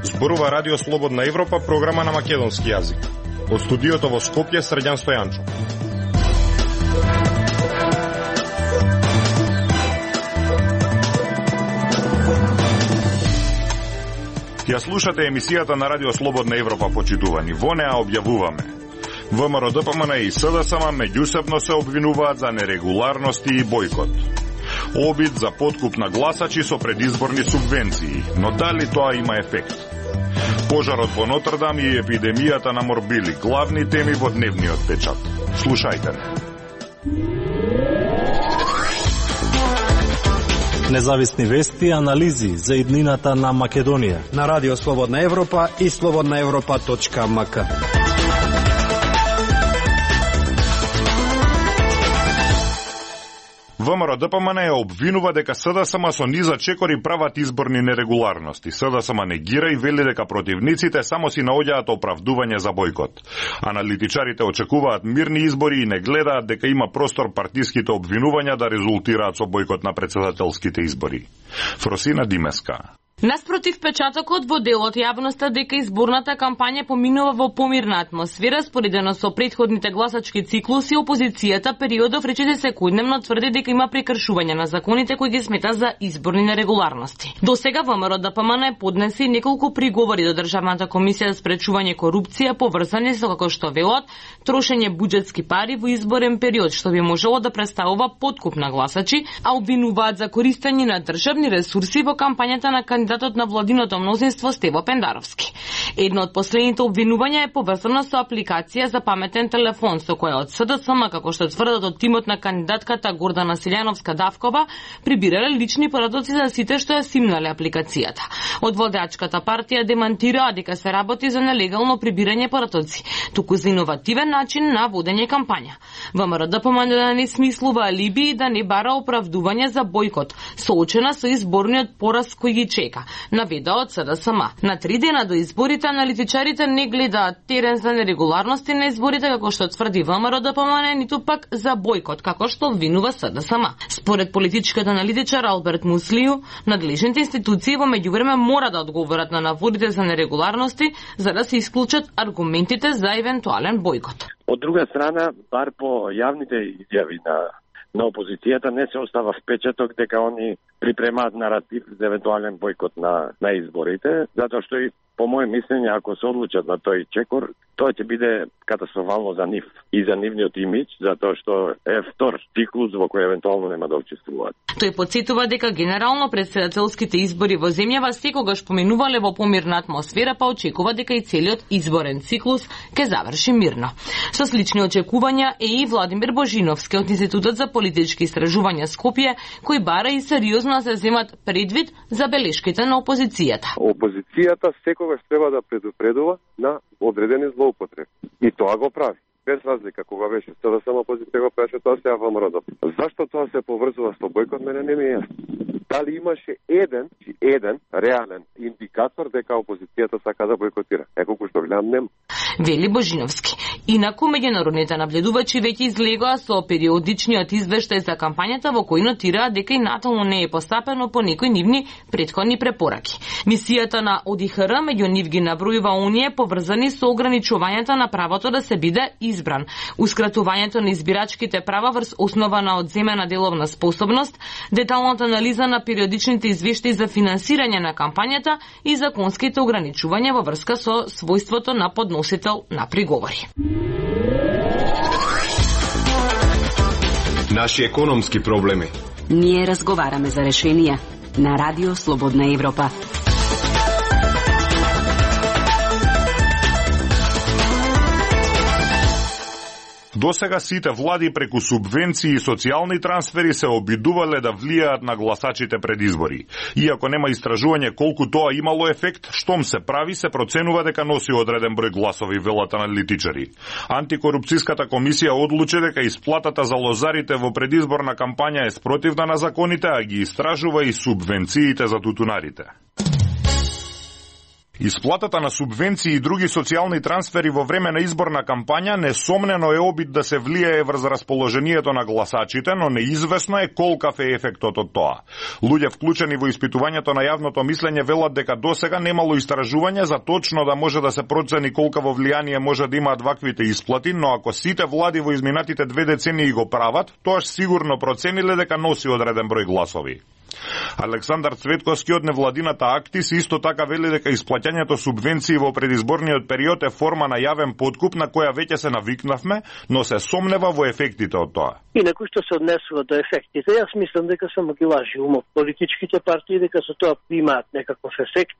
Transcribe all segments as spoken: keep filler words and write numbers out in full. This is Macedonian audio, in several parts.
Зборува Радио Слободна Европа, програма на македонски јазик. Од студиото во Скопје, Средјан Стојанчо. Ја слушате емисијата на Радио Слободна Европа, почитувани. Во неа објавуваме: ВМРО-ДПМН и СДСМ меѓусебно се обвинуваат за нерегуларности и бојкот. Обид за подкуп на гласачи со предизборни субвенции, но дали тоа има ефект? Пожарот во Нотр-Дам и епидемијата на морбили, главни теми во дневниот печат. Слушајте не. Независни вести и анализи за иднината на Македонија на Радио Слободна Европа и слободна европа точка ем ка. ВМРО-ДПМН ја обвинува дека СДСМ со низа чекори прават изборни нерегуларности. СДСМ негира и вели дека противниците само си наоѓаат оправдување за бојкот. Аналитичарите очекуваат мирни избори и не гледаат дека има простор партиските обвинувања да резултираат со бојкот на претседателските избори. Фросина Димеска. Наспротив печатокот во делот јавноста дека изборната кампања поминува во помирна атмосфера, споредено со претходните гласачки циклуси, опозицијата периодов речите секојдневно тврди дека има прекршување на законите кои ги смета за изборни нерегуларности. До сега ВМРО-ДПМН поднеси неколку приговори до Државната комисија за спречување корупција поврзани со, како што велат, трошење буџетски пари во изборен период, што би можело да представува подкуп на гласачи, а обвинуваат за користење на државни ресурси во кампањата на кандидатот на владиното мнозинство Стево Пендаровски. Едно од последните обвинувања е поврзано со апликација за паметен телефон, со која од СДСМ, како што тврдат од тимот на кандидатката Гордана Силјановска-Давкова, прибирале лични порадоци за сите што ја симнале апликацијата. Од владеачката партија демантираа дека се работи за нелегално прибирање порадоци, туку за иновативен начин на водење кампања. ВМРО-ДПМН да не смислува алиби и да не бара оправдување за бојкот, соочена со изборниот пораз кој ги чека, наведа од СДСМ. На три дена до изборите аналитичарите не гледаат терен за нерегуларности на изборите, како што тврди ВМРО-ДПМН, ниту пак за бојкот, како што обвинува СДСМ. Според политичкиот аналитичар Алберт Муслију, надлежните институции во меѓувреме мора да одговорат на наводите за нерегуларности, за да се исклучат аргументите за евентуален бојкот. Од друга страна, бар по јавните изјави на на опозицијата не се остава впечаток дека они припремаат наратив за евентуален бојкот на на изборите, затоа што и по моје мислење, ако се одлучат на тој чекор, тоа ќе биде катастрофално за нив и за нивниот имидж, затоа што е втор циклус во кој евентуално нема да учествуваат. Тој потсетува дека генерално претседателските избори во земјава секогаш поминувале во помирна атмосфера, па очекува дека и целиот изборен циклус ќе заврши мирно. Со слични очекувања е и Владимир Божиновски од Институтот за политички истражувања Скопје, кој бара и сериозно се земат предвид за белешките на опозицијата. Опозицијата секогаш треба да предупредува на одредени злоупотреби. И тоа го прави. Без разлика, кога беше СДСМ опозиција го правеше, тоа се јава ВМРО. Зашто тоа се поврзува со бојкот, мене не ми е јасно. Дали имаше еден, еден реален индикатор дека опозицијата сака да бојкотира? Е, колку што гледам, нема. Вели Божиновски. Инаку меѓународните наблюдувачи веќе излегоа со периодичниот извештај за кампањата во кој нотираа дека и натално не е постапено по некои нивни претходни препораки. Мисијата на О Д Х Р меѓу нив ги набројува оние поврзани со ограничувањето на правото да се биде избран, ускратувањето на избирачките права врз основа на одземена деловна способност, деталната анализа на периодичните извештаи за финансирање на кампањата и законските ограничувања во врска со својството на подносител на приговори. Наши економски проблеми. Ние разговараме за решенија на Радио Слободна Европа. Досега сите влади преку субвенции и социјални трансфери се обидувале да влијаат на гласачите пред избори. Иако нема истражување колку тоа имало ефект, штом се прави, се проценува дека носи одреден број гласови, велат аналитичари. Антикорупцијската комисија одлучи дека исплатата за лозарите во предизборна кампања е спротивна на законите, а ги истражува и субвенциите за тутунарите. Исплатата на субвенции и други социјални трансфери во време на изборна кампања несомнено е обид да се влијае врз расположението на гласачите, но неизвестно е колкав е ефектот од тоа. Луѓе вклучени во испитувањето на јавното мислење велат дека досега немало истражување за точно да може да се процени колкаво влијание може да имаат ваквите исплати, но ако сите влади во изминатите две децении го прават, тоаш сигурно процениле дека носи одреден број гласови. Александар Цветковски од невладината Актис исто така вели дека исплаќањето субвенции во предизборниот период е форма на јавен подкуп на која веќе се навикнавме, но се сомнева во ефектите од тоа. Инаку што се однесува до ефектите, јас мислам дека само ги лажи умот политичките партии, дека со тоа имаат некаков ефект.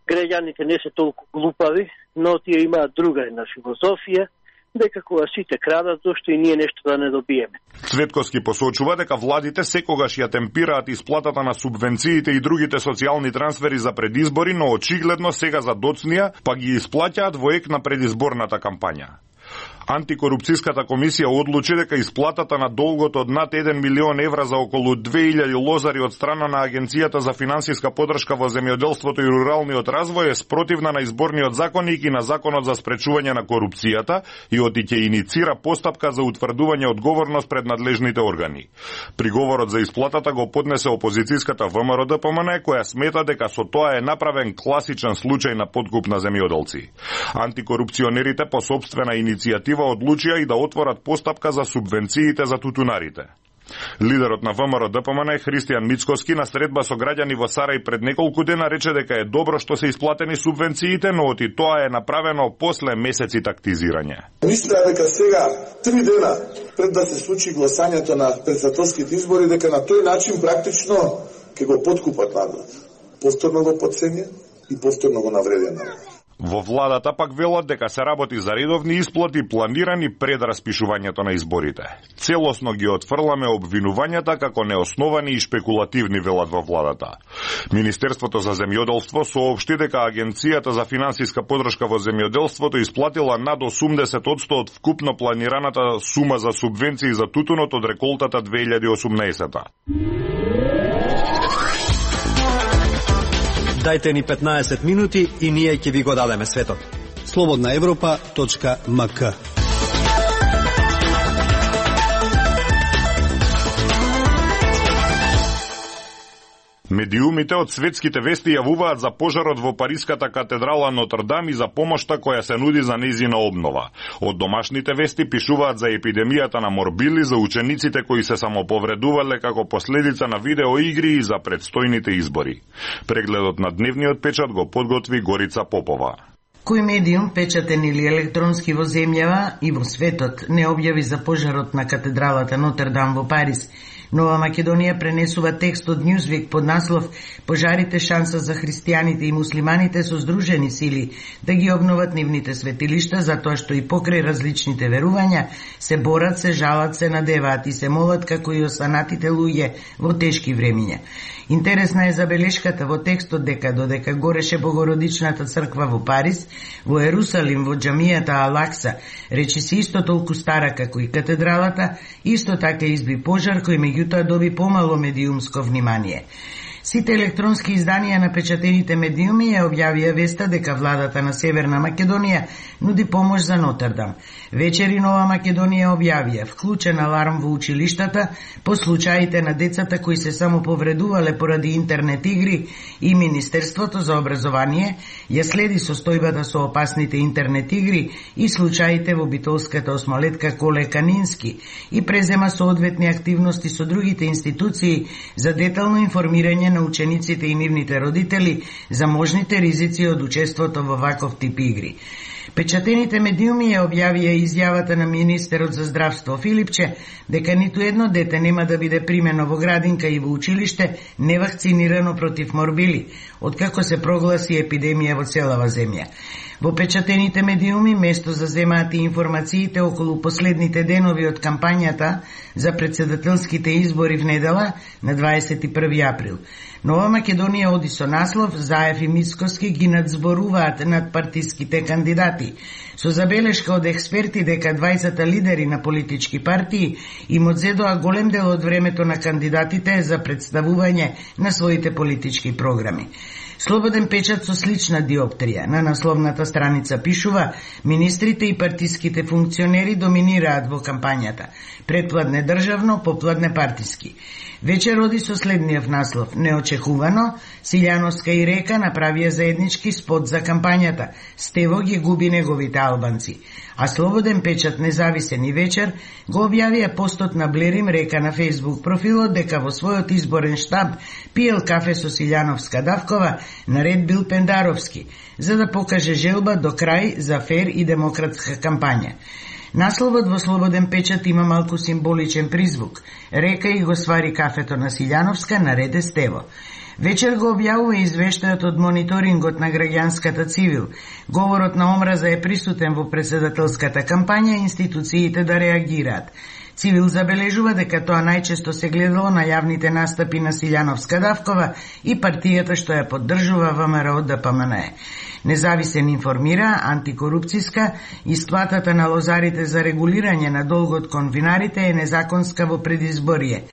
Граѓаните не се толку глупави, но тие имаат друга една филозофија, дека кога сите крадат, зошто и ние нешто да не добиеме. Цветковски посочува дека владите секогаш ја темпираат исплатата на субвенциите и другите социјални трансфери за предизбори, но очигледно сега за доцнија па ги исплаќаат во ек на предизборната кампања. Антикорупцијската комисија одлучи дека исплатата на долгот од над еден милион евра за околу две илјади лозари од страна на Агенцијата за финансиска подршка во земјоделството и руралниот развој е спротивна на изборниот законник и на законот за спречување на корупцијата и оти ќе иницира постапка за утврдување одговорност пред надлежните органи. Приговорот за исплатата го поднесе опозицијската ВМРО-ДПМН, која смета дека со тоа е направен класичен случај на подкуп на земјоделци. Антикорупционерите по сопствена иницијатива одлучија и да отворат постапка за субвенциите за тутунарите. Лидерот на ВМРО-ДПМН Христијан Мицкоски на средба со граѓани во Сарај пред неколку дена рече дека е добро што се исплатени субвенциите, но оти тоа е направено после месеци тактизирање. Мисля дека сега, три дена пред да се случи гласањето на претседателските избори, дека на тој начин практично ќе го подкупат народот. Повторно го потценија и повторно го навредија народот. Во владата пак велат дека се работи за редовни исплати планирани пред распишувањето на изборите. Целосно ги отфрламе обвинувањата како неосновани и шпекулативни, велат во владата. Министерството за земјоделство соопшти дека Агенцијата за финансиска подршка во земјоделството исплатила над осумдесет одсто од вкупно планираната сума за субвенции за тутунот од реколтата две илјади и осумнаесета. Дајте ни петнаесет минути и ние ќе ви го дадеме светот. слободна европа точка ем ка. Медиумите од светските вести јавуваат за пожарот во Париската катедрала Нотр-Дам и за помошта која се нуди за нејзина обнова. Од домашните вести пишуваат за епидемијата на морбили, за учениците кои се самоповредувале како последица на видеоигри и за предстојните избори. Прегледот на дневниот печат го подготви Горица Попова. Кој медиум, печатен или електронски во земјава и во светот, не објави за пожарот на катедралата Нотр-Дам во Париз. Нова Македонија пренесува текст од Newsweek под наслов "Пожарите шанса за христијаните и муслиманите со здружени сили да ги обноват нивните светилишта, затоа што и покрај различните верувања се борат, се жалат, се надеваат и се молат како и останатите луѓе во тешки времиња." Интересна е забелешката во текстот дека додека гореше Богородичната црква во Париз, во Ерусалим, во џамијата Алакса, речи се исто толку стара како и катедралата, исто така изби пожар кој меѓутоа доби помало медиумско внимание. Сите електронски изданија на печатените медиуми ја објавија веста дека владата на Северна Македонија нуди помош за Нотр-Дам. Вечери Нова Македонија објавија вклучен аларм во училиштата по случаите на децата кои се само повредувале поради интернет игри и Министерството за образование ја следи состојбата со опасните интернет игри и случаите во битолската осмолетка Коле Канински и презема соодветни активности со другите институции за детално информирање на учениците и нивните родители за можните ризици од учеството во ваков тип игри. Печатените медиуми ја објавија изјавата на министерот за здравство Филипче дека ниту едно дете нема да биде примено во градинка и во училиште невакцинирано против морбили, откако се прогласи епидемија во целава земја. Во печатените медиуми место заземаат и информациите околу последните денови од кампањата за председателските избори в недела на дваесет и први април. Нова Македонија оди со наслов "Заев и Мицкоски ги надзборуваат над партиските кандидати", со забелешка од експерти дека дваесет лидери на политички партии им одзедоа голем дел од времето на кандидатите за представување на своите политички програми. Слободен печат со слична диоптрија. На насловната страница пишува: министрите и партиските функционери доминираат во кампањата. Предпладне државно, попладне партиски. Вечер оди со следниот наслов: неочекувано, Силјановска и Река направија заеднички спот за кампањата. Стево ги губи неговите албанци. А Слободен печат, независен и Вечер го објавија постот на Блерим Река на Facebook профилот дека во својот изборен штаб пиел кафе со Силјановска Давкова, наред бил Пендаровски, за да покаже желба до крај за фер и демократска кампања. Насловот во Слободен печат има малку символичен призвук. Река и го свари кафето на Силјановска, нареде Стево. Вечер го објавува извештајот од мониторингот на граѓанската цивил. Говорот на омраза е присутен во претседателската кампања, институциите да реагираат. Цивил забележува дека тоа најчесто се гледало на јавните настапи на Силјановска Давкова и партијата што ја поддржува ВМРО Д П М Н Е. Независен информира, антикорупцијска, исплатата на лозарите за регулирање на долгот кон винарите е незаконска во предизборие.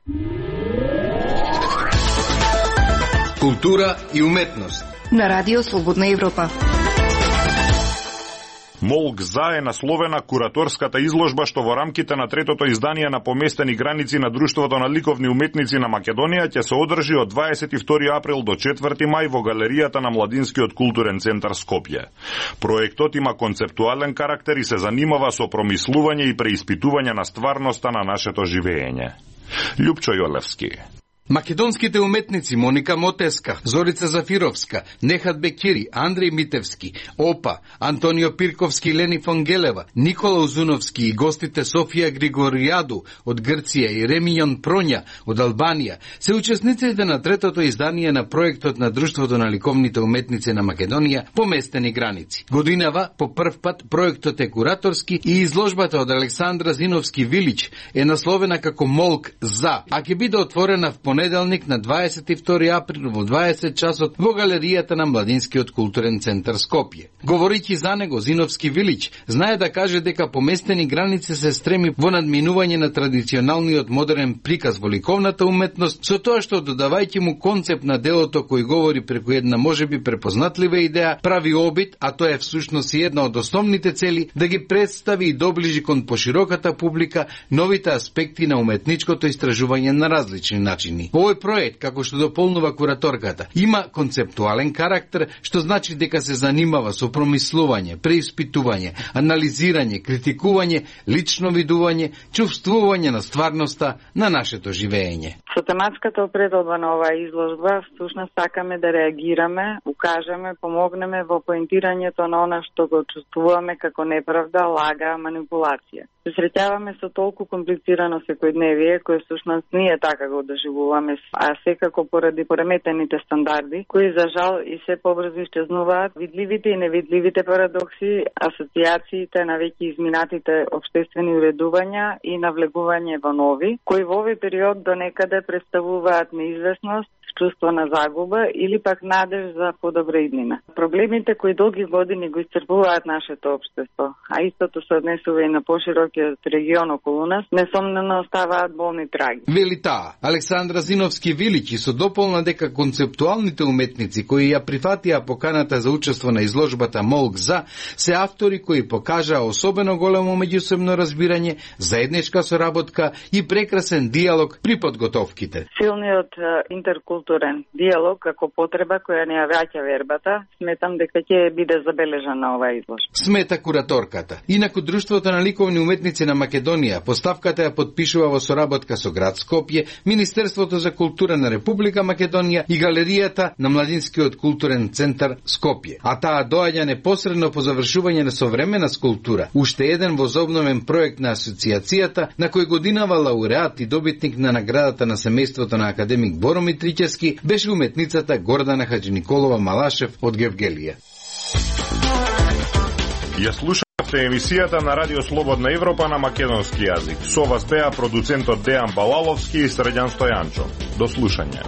Култура и уметност на Радио Слободна Европа. Молк за е насловена кураторската изложба што во рамките на третото издание на Поместени граници на Друштвото на ликовни уметници на Македонија ќе се одржи од дваесет и втори април до четврти мај во галеријата на Младинскиот културен центар Скопје. Проектот има концептуален карактер и се занимава со промислување и преиспитување на стварноста на нашето живеење. Љупчо Јолевски. Македонските уметници Моника Мотеска, Зорица Зафировска, Нехат Бекири, Андреј Митевски, Опа, Антонио Пирковски, Лени Фонгелева, Никола Узуновски и гостите Софија Григоријаду од Грција и Ремијон Проња од Албанија се учесниците на третото издание на проектот на Друштвото на ликовните уметници на Македонија Поместени граници. Годинава по прв пат проектот е кураторски и изложбата од Александра Зиновски Вилич е насловена како Молк за, а ќе биде отворена в понеделник на дваесет и втори април во дваесет часот во галеријата на Младинскиот културен центар Скопје. Говорејќи за него, Зиновски Вилич знае да каже дека Поместени граници се стреми во надминување на традиционалниот модерен приказ во ликовната уметност, со тоа што додавајќи му концепт на делото кој говори преку една можеби препознатлива идеја, прави обид, а тоа е всушност и една од основните цели, да ги представи и доближи кон пошироката публика новите аспекти на уметничкото истражување на различни начини. Овој проект, како што дополнува кураторката, има концептуален карактер, што значи дека се занимава со промислување, преиспитување, анализирање, критикување, лично видување, чувствување на стварноста на нашето живеење. Со тематската определба на оваа изложба, всушност сакаме да реагираме, укажеме, помогнеме во поентирањето на она што го чувствуваме како неправда, лага, манипулација. Се среќаваме со толку комплицирано секојдневие, кое всушност ние така го доживуваме, а секако поради пореметените стандарди, кои за жал и се побрзо исчезнуваат, видливите и невидливите парадокси, асоциациите на веќе изминатите обштествени уредувања и навлегување во нови, кои во овој период до некаде представуваат неизвестност, чувство на загуба или пак надеж за подобра иднина. Проблемите кои долги години го исцрпуваат нашето општество, а истото се однесува и на поширокиот регион околу нас, несомнено оставаат болни траги. Вели таа, Александра Зиновски Вилич, и со дополна дека концептуалните уметници кои ја прифатија поканата за учество на изложбата Молк за, се автори кои покажаа особено големо меѓусебно разбирање, заедничка соработка и прекрасен диалог при подготовките. Силниот интеркултурен диалог како потреба која не ја враќа вербата, сметам дека ќе биде забележан на оваа изложба. Смета кураторката. Инаку Друштвото на ликовни уметници на Македонија поставката ја подпишува во соработка со град Скопје, Министерството за култура на Република Македонија и галеријата на Младинскиот културен центар Скопје. А таа доаѓа непосредно по завршување на современа скулптура, уште еден возобновен проект на асоциацијата на кој годинава лауреат и добитник на наградата на семејството на академик Боро Митричевски беше уметницата Гордана Хаџиниколова Малашев од Гевгелија. Ја слушавте емисијата на Радио Слободна Европа на македонски јазик. Со вас беа продуцентот Дејан Балаловски и Средјан Стојанчо. До слушање.